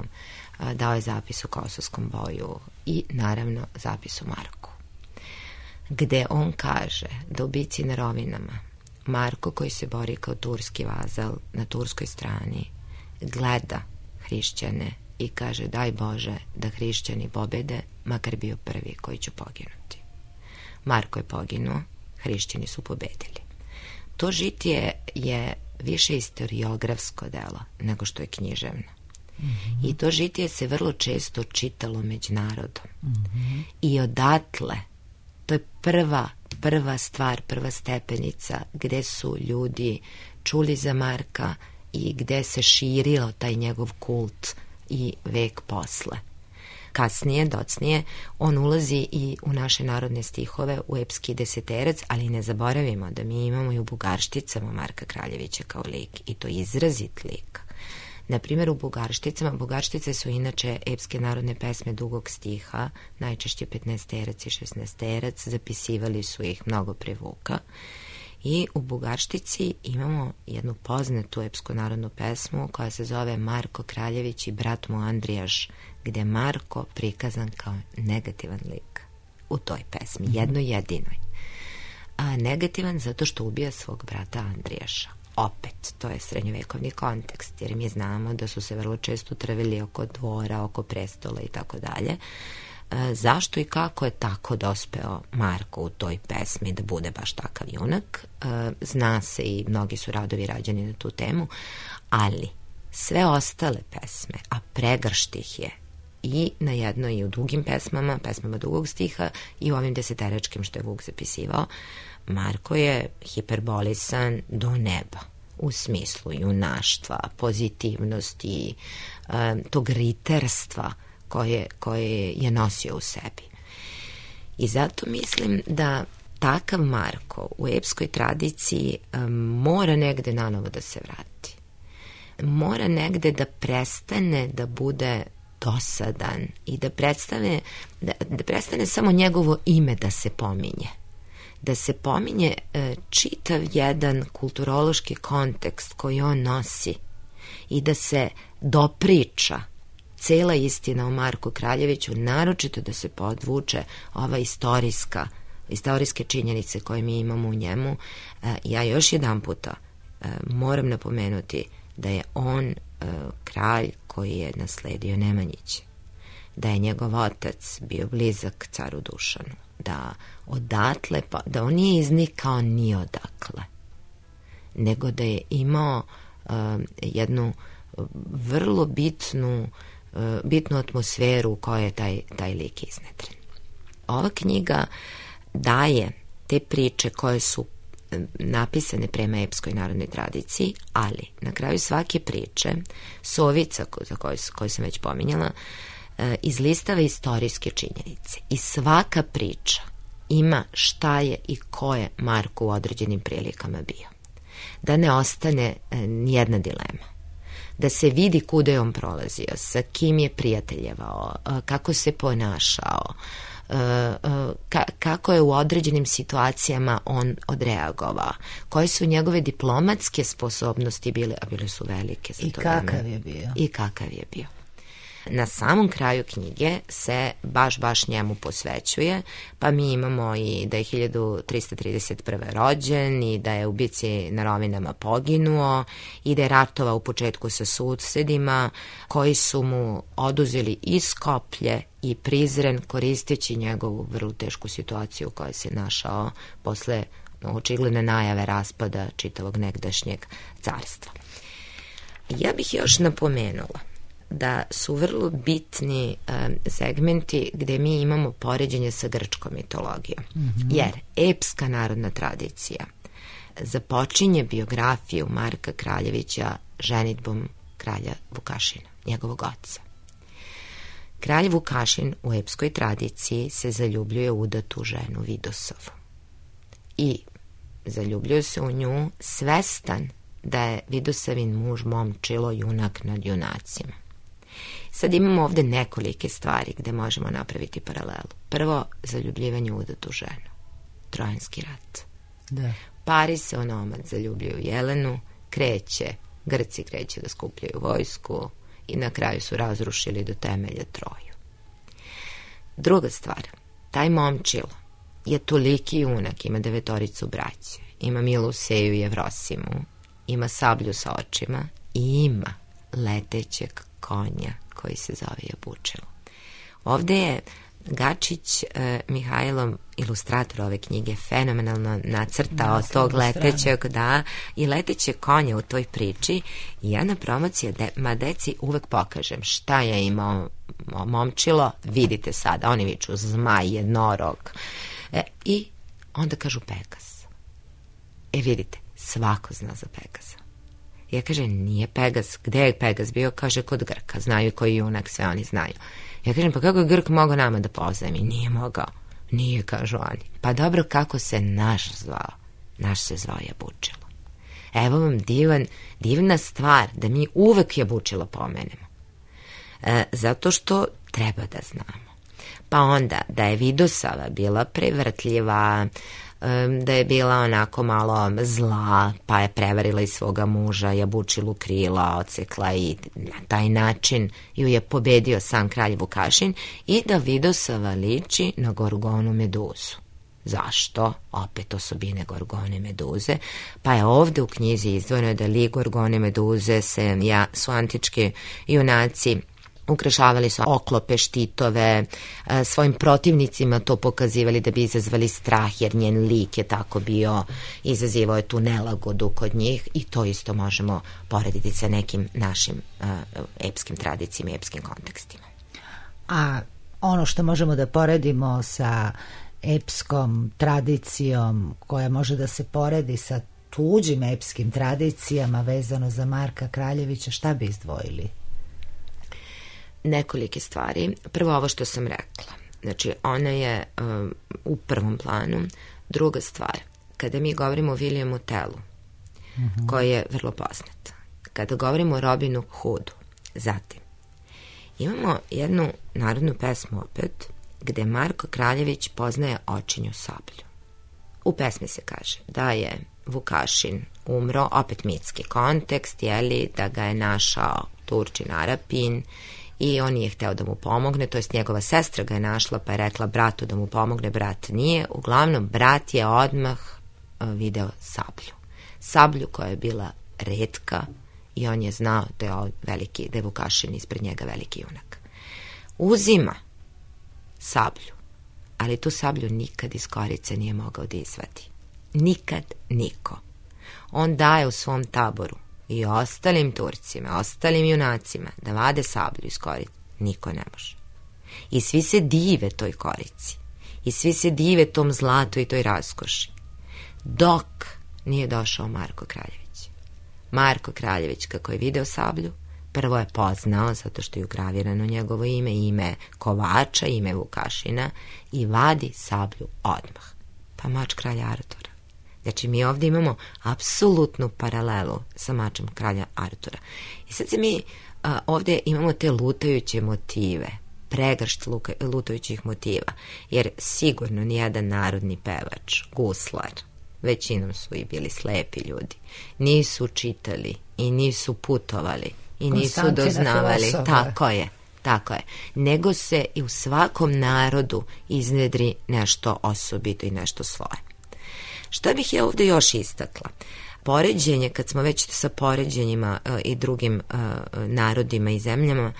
dao je zapis u Kosovskom boju i naravno zapis u Marku, gde on kaže da u bici na Rovinama Marko, koji se bori kao turski vazal na turskoj strani, gleda hrišćane i kaže: daj Bože da hrišćani pobede, makar bio prvi koji će poginuti. Marko je poginuo, hrišćani su pobedili. To žitije je više istoriografsko delo nego što je književno. Mm-hmm. I to žitije se vrlo često čitalo među narodom. Mm-hmm. I odatle, to je prva, prva stvar, prva stepenica gde su ljudi čuli za Marka i gde se širio taj njegov kult i vek posle. Kasnije, docnije, on ulazi i u naše narodne stihove, u epski deseterac, ali ne zaboravimo da mi imamo i u Bugaršticama Marka Kraljevića kao lik, i to izrazit lik. Na primjer, u Bugaršticama, Bugarštice su inače epske narodne pesme dugog stiha, najčešće petnaesterac i šesnaesterac, zapisivali su ih mnogo pre Vuka. I u Bugarštici imamo jednu poznatu epsku narodnu pesmu koja se zove Marko Kraljević i brat mu Andrijaš, gde je Marko prikazan kao negativan lik u toj pesmi, jednoj jedinoj. A negativan zato što ubija svog brata Andrijaša. Opet, to je srednjovekovni kontekst, jer mi znamo da su se vrlo često trvili oko dvora, oko prestola i tako dalje. Zašto i kako je tako dospeo Marko u toj pesmi da bude baš takav junak? Zna se i mnogi su radovi rađeni na tu temu, ali sve ostale pesme, a pregršt ih je i na jednoj i u dugim pesmama, pesmama dugog stiha i u ovim deseteračkim što je Vuk zapisivao, Marko je hiperbolisan do neba u smislu junaštva, pozitivnosti, tog riterstva koje, koje je nosio u sebi. I zato mislim da takav Marko u epskoj tradiciji mora negde nanovo da se vrati. Mora negde da prestane da bude dosadan i da prestane, da, da prestane samo njegovo ime da se pominje. Da se pominje e, čitav jedan kulturološki kontekst koji on nosi i da se dopriča cela istina o Marku Kraljeviću, naročito da se podvuče ova istorijska, istorijske činjenice koje mi imamo u njemu. E, ja još jedan puta e, moram napomenuti da je on e, kralj koji je nasledio Nemanjiće, da je njegov otac bio blizak caru Dušanu, da odatle, pa, da on nije iznikao ni odakle, nego da je imao uh, jednu vrlo bitnu, uh, bitnu atmosferu u kojoj je taj, taj lik iznedren. Ova knjiga daje te priče koje su napisane prema epskoj narodnoj tradiciji, ali na kraju svake priče Sovica, za koju, koju sam već pominjala, izlistava istorijske činjenice i svaka priča ima šta je i ko je Marko u određenim prilikama bio. Da ne ostane nijedna dilema. Da se vidi kuda je on prolazio, sa kim je prijateljevao, kako se ponašao, kako je u određenim situacijama on odreagovao, koje su njegove diplomatske sposobnosti bile, a bile su velike za I to kakav vreme. je bio. I kakav je bio. Na samom kraju knjige se baš, baš njemu posvećuje, pa mi imamo i da je hiljadu trista trideset prve rođen i da je u bici na Rovinama poginuo i da je ratovao u početku sa susedima koji su mu oduzeli i Skoplje i Prizren koristeći njegovu vrlo tešku situaciju u kojoj se našao posle očigledne najave raspada čitavog negdašnjeg carstva. Ja bih još napomenula da su vrlo bitni um, segmenti gde mi imamo poređenje sa grčkom mitologijom. Mm-hmm. Jer epska narodna tradicija započinje biografiju Marka Kraljevića ženidbom kralja Vukašina, njegovog oca. Kralj Vukašin u epskoj tradiciji se zaljubljuje u udatu ženu Vidosavu. I zaljubljuje se u nju svestan da je Vidosavin muž momčilo junak nad junacima. Sad imamo ovde nekolike stvari gde možemo napraviti paralelu. Prvo, zaljubljivanje u udatu ženu. Trojanski rat. Da. Paris se onomad zaljubljuje u Jelenu, kreće, Grci kreće da skupljaju vojsku i na kraju su razrušili do temelja Troju. Druga stvar, taj momčilo je toliki junak, ima devetoricu braće, ima Miluseju i Evrosimu, ima sablju sa očima i ima letećeg konja koji se zove Jabučilo. Ovde je Gačić eh, Mihajlo, ilustrator ove knjige, fenomenalno nacrtao da, tog letećeg, da, i leteće konja u toj priči. I ja na promociji de, ma deci uvek pokažem šta je imao momčilo, vidite sada, oni viču zmaj, jednorog. E, I onda kažu Pegas. E vidite, svako zna za Pegaza. Ja kažem, nije Pegas, gde je Pegas bio? Kaže, kod Grka, znaju koji junak, sve oni znaju. Ja kažem, pa kako je Grk mogao nama da pozajmi? Nije mogao. Nije, kažu oni. Pa dobro, kako se naš zvao? Naš se zvao Jabučilo. Evo vam divan, divna stvar da mi uvek Jabučilo pomenemo. E, zato što treba da znamo. Pa onda, da je Vidosava bila prevrtljiva, da je bila onako malo zla, pa je prevarila i svoga muža, Jabučilu krila, odsekla i na taj način ju je pobedio sam kralj Vukašin, i da Vidosava liči na Gorgonu Meduzu. Zašto? Opet osobine Gorgone Meduze. Pa je ovde u knjizi izdvojeno da lik Gorgone Meduze se, ja, su antički junaci ukrašavali su oklope, štitove, svojim protivnicima to pokazivali da bi izazvali strah, jer njen lik je tako bio, izazivao je tu nelagodu kod njih, i to isto možemo porediti sa nekim našim uh, epskim tradicijama i epskim kontekstima. A ono što možemo da poredimo sa epskom tradicijom koja može da se poredi sa tuđim epskim tradicijama vezano za Marka Kraljevića, šta bi izdvojili? Nekolike stvari. Prvo ovo što sam rekla. Znači, ona je um, u prvom planu. Druga stvar, kada mi govorimo o Williamu Tellu, mm-hmm. koji je vrlo poznat. Kada govorimo o Robinu Hoodu, zatim, imamo jednu narodnu pesmu opet, gde Marko Kraljević poznaje očinju sablju. U pesmi se kaže da je Vukašin umro, opet mitski kontekst, jeli, da ga je našao Turčin Arapin, i on nije hteo da mu pomogne, to jest njegova sestra ga je našla, pa je rekla bratu da mu pomogne, brat nije. Uglavnom, brat je odmah video sablju. Sablju koja je bila retka, i on je znao da je, veliki, da je Vukašin ispred njega veliki junak. Uzima sablju, ali tu sablju nikad iz korice nije mogao da izvadi. Nikad niko. On daje u svom taboru i ostalim Turcima, ostalim junacima da vade sablju iz korice. Niko ne može. I svi se dive toj korici. I svi se dive tom zlatu i toj raskoši. Dok nije došao Marko Kraljević. Marko Kraljević, kako je video sablju, prvo je poznao, zato što je ugravirano njegovo ime, ime kovača, ime Vukašina, i vadi sablju odmah. Pa mač kralja Artura. Znači, mi ovdje imamo apsolutnu paralelu sa mačem kralja Artura. I sad se mi a, ovdje imamo te lutajuće motive, pregršt luka, lutajućih motiva, jer sigurno nijedan narodni pevač, guslar, većinom su i bili slepi ljudi, nisu čitali i nisu putovali i nisu doznavali. Tako je, tako je. Nego se i u svakom narodu iznedri nešto osobito i nešto svoje. Šta bih ja ovdje još istakla? Poređenje, kad smo već sa poređenjima uh, i drugim uh, narodima i zemljama,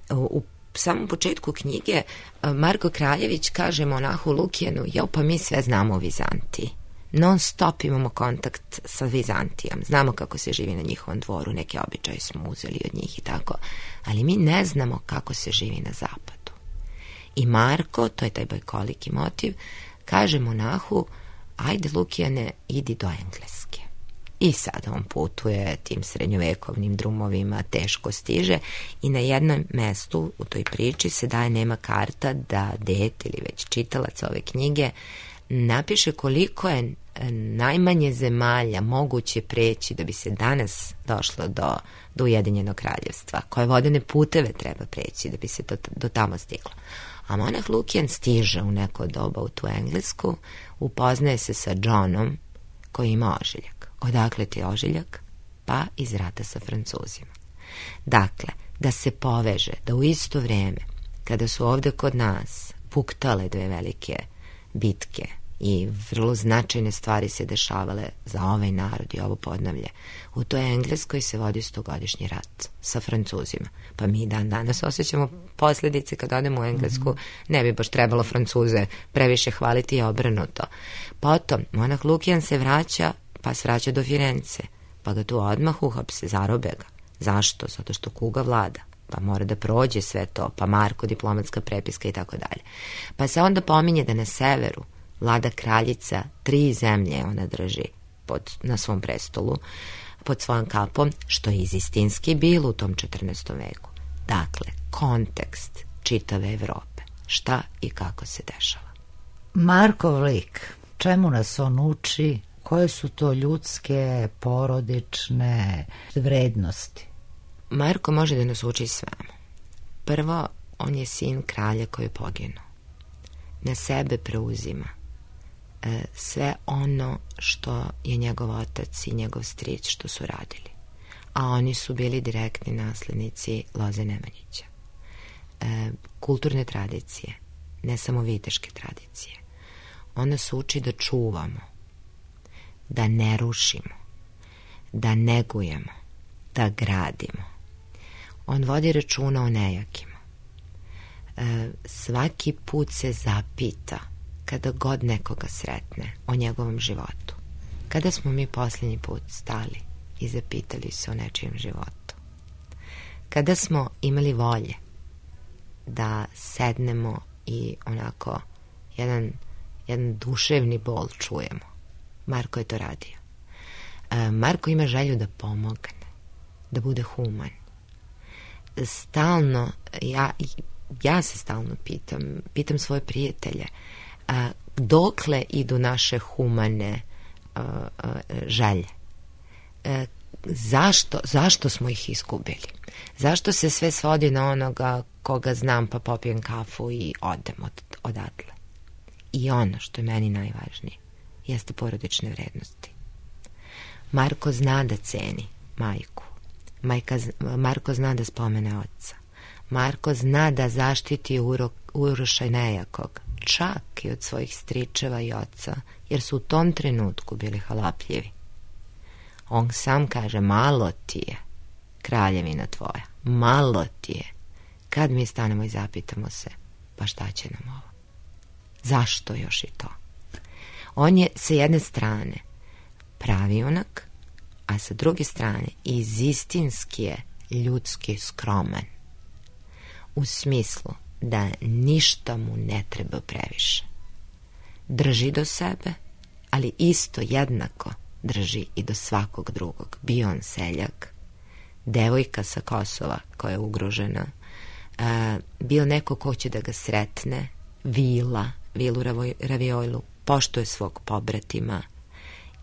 uh, u samom početku knjige uh, Marko Kraljević kaže monahu Lukijanu, jao, pa mi sve znamo o Vizantiji. non stop imamo kontakt sa Vizantijom, znamo kako se živi na njihovom dvoru, neke običaje smo uzeli od njih i tako, ali mi ne znamo kako se živi na zapadu. I Marko, to je taj bajkoliki motiv, kaže monahu, ajde Lukijane, idi do Engleske. I sada on putuje tim srednjovekovnim drumovima, teško stiže i na jednom mestu u toj priči se daje nema karta da dete ili već čitalac ove knjige napiše koliko je najmanje zemalja moguće preći da bi se danas došlo do, do Ujedinjenog kraljevstva, koje vodene puteve treba preći da bi se do, do tamo stiglo. A monah Lukijan stiže u neko doba u tu Englesku, upoznaje se sa Johnom koji ima ožiljak. Odakle ti je ožiljak? Pa iz rata sa Francuzima. Dakle, da se poveže, da u isto vrijeme, kada su ovdje kod nas puktale dve velike bitke i vrlo značajne stvari se dešavale za ovaj narod i ovo podnavlje, u toj Engleskoj se vodi stogodišnji rat sa Francuzima. Pa mi dan danas osjećamo posljedice kad odemo u Englesku, ne bi baš trebalo Francuze previše hvaliti i obrnuto. Potom, monah Lukijan se vraća, pa se vraća do Firence, pa ga tu odmah uhapse, zarobe ga. Zašto? Zato što kuga vlada, pa mora da prođe sve to, pa Marko, diplomatska prepiska i tako dalje. Pa se onda pominje da na severu vlada kraljica, tri zemlje ona drži pod, na svom prestolu, pod svojom kapom, što je izistinski bilo u tom četrnaestom veku. Dakle, kontekst čitave Evrope. Šta i kako se dešava. Markov lik, čemu nas on uči? Koje su to ljudske, porodične vrednosti? Marko može da nas uči svemu. Prvo, on je sin kralja koji je poginuo. Na sebe preuzima e, sve ono što je njegov otac i njegov stric što su radili. A oni su bili direktni naslednici Loze Nemanjića. E, kulturne tradicije, ne samo viteške tradicije. On nas uči da čuvamo, da ne rušimo, da negujemo, da gradimo. On vodi računa o nejakima. E, svaki put se zapita, kada god nekoga sretne, o njegovom životu. Kada smo mi posljednji put stali i zapitali se o nečijem životu? Kada smo imali volje da sednemo i onako jedan, jedan duševni bol čujemo? Marko je to radio. E, Marko ima želju da pomogne, da bude human. Stalno, ja, ja se stalno pitam, pitam svoje prijatelje, a, dokle idu naše humane a, a, želje? E, zašto, zašto smo ih izgubili? Zašto se sve svodi na onoga koga znam pa popijem kafu i odem od, odatle? I ono što je meni najvažnije jeste porodične vrednosti. Marko zna da ceni majku. Majka, Marko zna da spomene oca. Marko zna da zaštiti uro, Uroša nejakog, čak i od svojih stričeva i oca, jer su u tom trenutku bili halapljivi. On sam kaže, malo ti je, kraljevina tvoja, malo ti je. Kad mi stanemo i zapitamo se, pa šta će nam ovo? Zašto još i to? On je sa jedne strane pravi junak, a sa druge strane izistinski je ljudski skroman. U smislu da ništa mu ne treba previše. Drži do sebe, ali isto jednako drži i do svakog drugog. Bio on seljak, devojka sa Kosova koja je ugrožena, a, bio neko ko će da ga sretne, vila, vilu Raviojlu, poštuje svog pobratima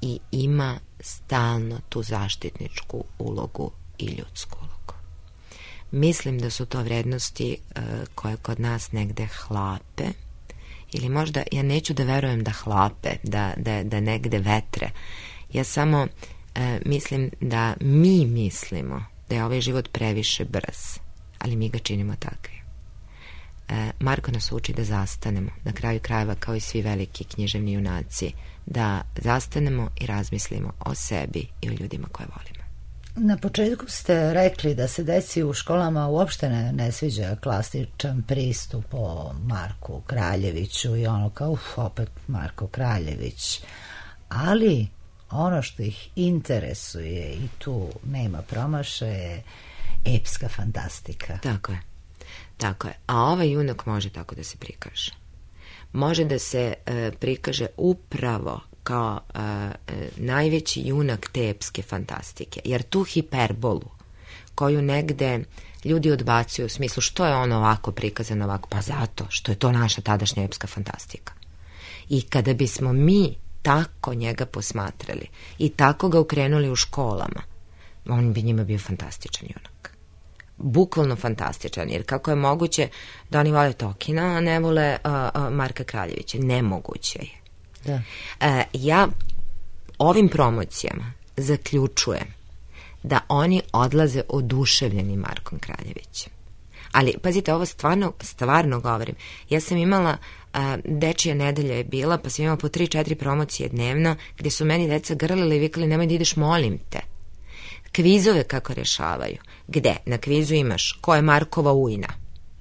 i ima stalno tu zaštitničku ulogu i ljudsku ulogu. Mislim da su to vrednosti uh, koje kod nas negde hlape, ili možda, ja neću da verujem da hlape, da, da, da negde vetre. Ja samo uh, mislim da mi mislimo da je ovaj život previše brz, ali mi ga činimo takvim. Uh, Marko nas uči da zastanemo, na kraju krajeva kao i svi veliki književni junaci, da zastanemo i razmislimo o sebi i o ljudima koje volimo. Na početku ste rekli da se deci u školama uopšte ne, ne sviđa klasičan pristup o Marku Kraljeviću i ono kao, uf, opet Marko Kraljević. ali ono što ih interesuje i tu nema promašaja je epska fantastika. Tako je. Tako je. A ovaj junak može tako da se prikaže. Može da se e, prikaže upravo kao e, e, najveći junak te epske fantastike. Jer tu hiperbolu koju negde ljudi odbacuju u smislu što je ono ovako prikazano ovako, pa zato što je to naša tadašnja epska fantastika. I kada bismo mi tako njega posmatrali i tako ga ukrenuli u školama, on bi njima bio fantastičan junak. Bukvalno fantastičan, jer kako je moguće da oni vole Tolkiena, a ne vole uh, uh, Marka Kraljevića? Nemoguće je. Da. Uh, ja ovim promocijama zaključujem da oni odlaze oduševljeni Markom Kraljevićem. Ali, pazite, ovo stvarno, stvarno govorim. Ja sam imala, a, dečija nedelja je bila, pa sam imala po tri, četiri promocije dnevno, gdje su meni deca grlili i vikali, nemoj da ideš, molim te. Kvizove kako rešavaju. Gde? Na kvizu imaš ko je Markova ujna.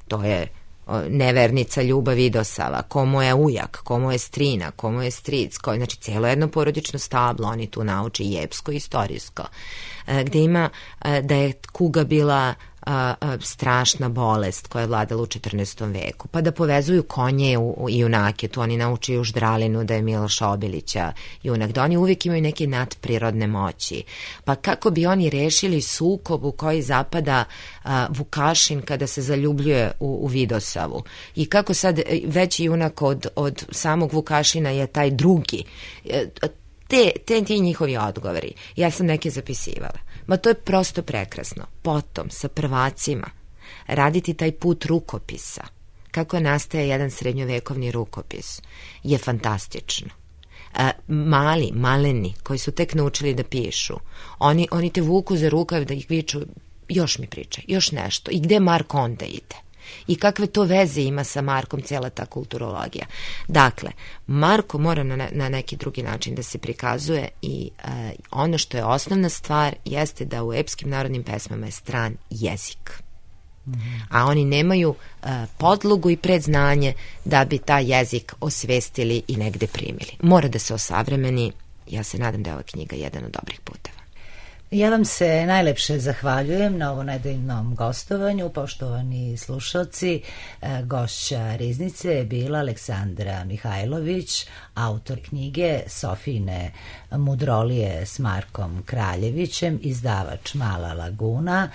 To je o, nevernica Ljuba Vidosava, ko mu je ujak, ko mu je strina, ko mu je stric, ko, znači cijelo jedno porodično stablo, oni tu nauče i epsko i istorijsko. E, gde ima e, da je kuga bila A, a, strašna bolest koja je vladala u četrnaestom veku, pa da povezuju konje u, u, i junake, tu oni naučuju u Ždralinu da je Miloša Obilića junak, da oni uvijek imaju neke nadprirodne moći, pa kako bi oni rešili sukob u koji zapada a, Vukašin kada se zaljubljuje u, u Vidosavu i kako sad veći junak od, od samog Vukašina je taj drugi, te, te ti njihovi odgovori, ja sam neke zapisivala. Ma to je prosto prekrasno. Potom, sa prvacima, raditi taj put rukopisa, kako nastaje jedan srednjovekovni rukopis, je fantastično. E, mali, maleni, koji su tek naučili da pišu, oni, oni te vuku za rukav da ih viču, još mi pričaj, još nešto. I gde Mark onda ide? I kakve to veze ima sa Markom cijela ta kulturologija. Dakle, Marko mora na, na neki drugi način da se prikazuje i e, ono što je osnovna stvar jeste da u epskim narodnim pesmama je stran jezik. Mm-hmm. A oni nemaju e, podlogu i predznanje da bi taj jezik osvestili i negde primili. Mora da se osavremeni. Ja se nadam da je ova knjiga jedan od dobrih puteva. Ja vam se najlepše zahvaljujem na ovo nedeljnom gostovanju. Poštovani slušalci, gošća Riznice je bila Aleksandra Mihajlović, autor knjige Sofijine mudrolije s Markom Kraljevićem, izdavač Mala Laguna,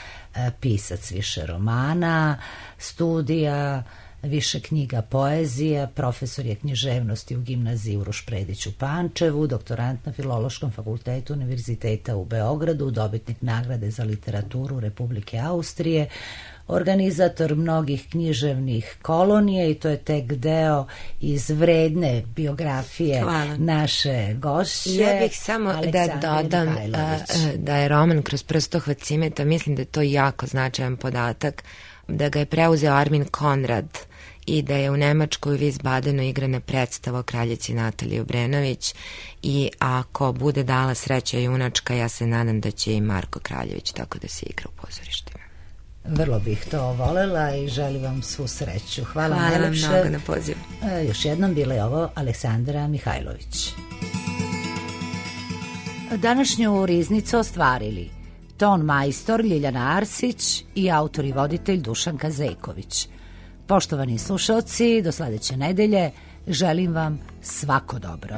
pisac više romana, studija, više knjiga poezija, profesor je književnosti u gimnaziji Uroš Predić u Pančevu, doktorant na Filološkom fakultetu Univerziteta u Beogradu, dobitnik nagrade za literaturu Republike Austrije, organizator mnogih književnih kolonija i to je tek deo iz vredne biografije Hvala. Naše gošće. Ja bih samo Aleksandre da dodam a, da je roman Kroz prstohvat cimeta, mislim da je to jako značajan podatak, da ga je preuzeo Armin Konrad i da je u Nemačkoj u Wiesbadenu igrana predstava o kraljici Nataliji Obrenović i ako bude dala sreća junačka, ja se nadam da će i Marko Kraljević tako da se igra u pozorištima. Vrlo bih to volela i želim vam svu sreću. Hvala, Hvala vam najlepše. mnogo na pozivu. E, još jednom bila je ovo Aleksandra Mihajlović. Današnju Riznicu ostvarili ton majstor Ljiljana Arsić i autor i voditelj Dušanka Zejković. Poštovani slušalci, do sledeće nedelje želim vam svako dobro.